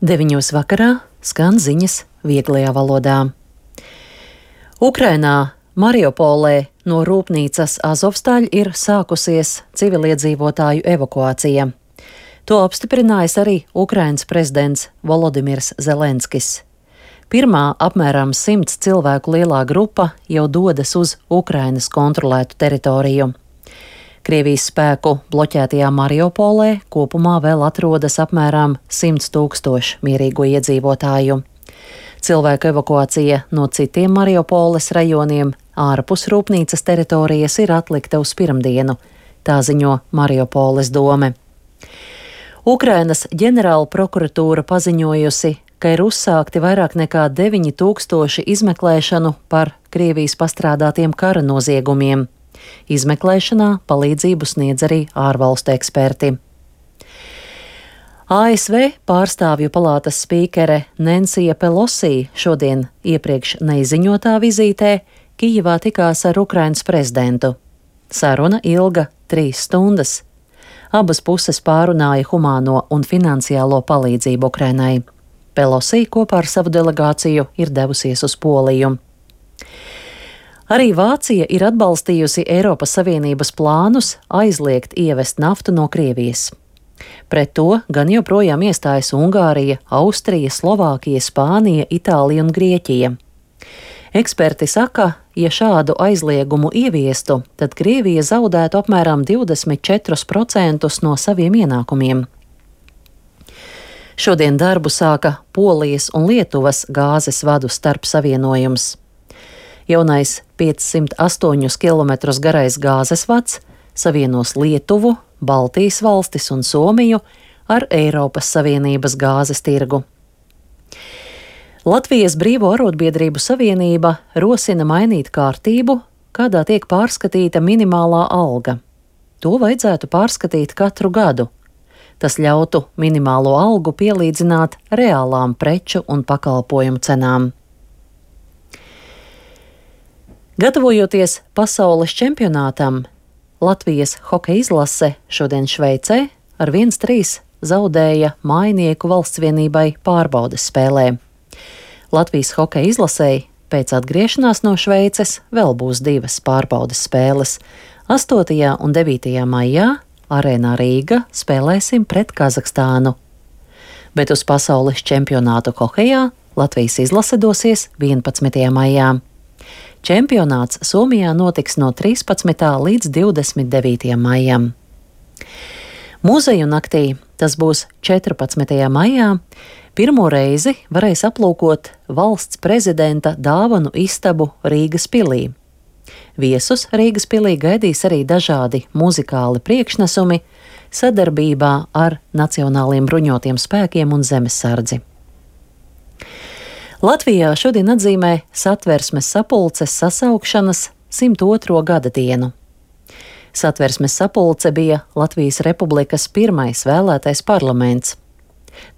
9 vakarā skan ziņas vieglajā valodā. Ukrainā, Mariupolē no rūpnīcas Azovstaļ ir sākusies civiliedzīvotāju evakuācija. To apstiprinājis arī Ukrainas prezidents Volodimirs Zelenskis. Pirmā apmēram 100 cilvēku lielā grupa jau dodas uz Ukrainas kontrolētu teritoriju. Krievijas spēku bloķētajā Mariupolē kopumā vēl atrodas apmēram 100 000 mierīgo iedzīvotāju. Cilvēku evakuācija no citiem Mariupoles rajoniem ārpus rūpnīcas teritorijas ir atlikta uz pirmdienu, tā ziņo Mariupoles dome. Ukrainas ģenerāla prokuratūra paziņojusi, ka ir uzsākti vairāk nekā 9000 izmeklēšanu par Krievijas pastrādātiem kara noziegumiem. Izmeklēšanā palīdzību sniedz arī ārvalstu eksperti. ASV pārstāvju palātas spīkere Nensija Pelosi šodien iepriekš neizziņotā vizītē Kijevā tikās ar Ukrainas prezidentu. Saruna ilga 3 stundas. Abas puses pārunāja humāno un finansiālo palīdzību Ukrainai. Pelosi kopā ar savu delegāciju ir devusies uz Poliju. Arī Vācija ir atbalstījusi Eiropas Savienības plānus aizliegt ievest naftu no Krievijas. Pret to gan joprojām iestājas Ungārija, Austrija, Slovākija, Spānija, Itālija un Grieķija. Eksperti saka, ja šādu aizliegumu ieviestu, tad Krievija zaudētu apmēram 24% no saviem ienākumiem. Šodien darbu sāka Polijas un Lietuvas gāzes vadu starpsavienojums. Jaunais 508 km garais gāzes vads savienos Lietuvu, Baltijas valstis un Somiju ar Eiropas Savienības gāzes tirgu. Latvijas Brīvo arotbiedrību savienība rosina mainīt kārtību, kādā tiek pārskatīta minimālā alga. To vajadzētu pārskatīt katru gadu. Tas ļautu minimālo algu pielīdzināt reālām preču un pakalpojumu cenām. Gatavojoties pasaules čempionātam, Latvijas hokeja izlase šodien Šveicē ar 1-3 zaudēja Mājinieku valstsvienībai pārbaudes spēlē. Latvijas hokeja izlasei pēc atgriešanās no Šveices vēl būs 2 pārbaudes spēles. 8. un 9. maijā Arēnā Rīga spēlēsim pret Kazahstānu. Bet uz pasaules čempionātu hokejā Latvijas izlase dosies 11. maijā. Čempionāts Somijā notiks no 13. līdz 29. maijam. Muzeju naktī, tas būs 14. maijā, pirmo reizi varēs aplūkot valsts prezidenta dāvanu istabu Rīgas pilī. Viesus Rīgas pilī gaidīs arī dažādi muzikāli priekšnesumi sadarbībā ar Nacionālajiem bruņotajiem spēkiem un zemesardzi. Latvijā šodien atzīmē Satversmes sapulces sasaukšanas 102. gada dienu. Satversmes sapulce bija Latvijas Republikas pirmais vēlētais parlaments.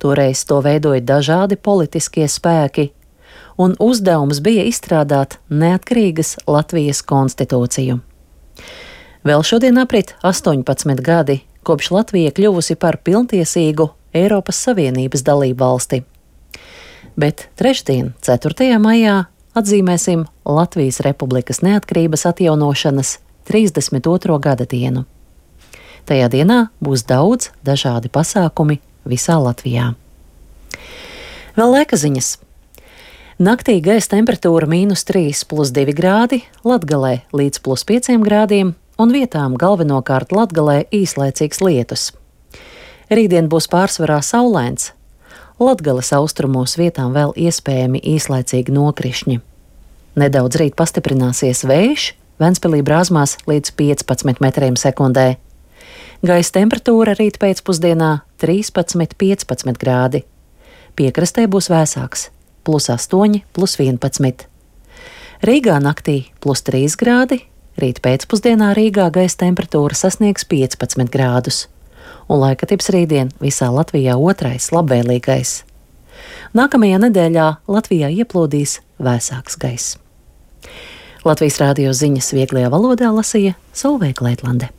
Toreiz to veidoja dažādi politiskie spēki, un uzdevums bija izstrādāt neatkarīgas Latvijas konstitūciju. Vēl šodien aprit 18 gadi, kopš Latvija kļuvusi par pilntiesīgu Eiropas Savienības dalību valsti. Bet trešdien, 4. maijā, atzīmēsim Latvijas Republikas neatkarības atjaunošanas 32. gada dienu. Tajā dienā būs daudz dažādi pasākumi visā Latvijā. Vēl laika ziņas. Naktī gaisa temperatūra -3 + 2 grādi, Latgalē līdz +5 grādiem un vietām galvenokārt Latgalē īslaicīgs lietus. Rītdien būs pārsvarā saulains. Latgales austrumos vietām vēl iespējami īslaicīgi nokrišņi. Nedaudz rīt pastiprināsies vējš, Ventspilī brāzmās līdz 15 metriem sekundē. Gaisa temperatūra rīt pēcpusdienā 13–15 grādi. Piekrastē būs vēsāks - +8, +11. Rīgā naktī +3 grādi, rīt pēcpusdienā Rīgā gaisa temperatūra sasniegs 15 grādus. Un laikatips rītdien visā Latvijā otrais labvēlīgais. Nākamajā nedēļā Latvijā ieplūdīs vēsāks gaiss. Latvijas Rādio ziņas vieglajā valodā lasīja Solveig Leitlande.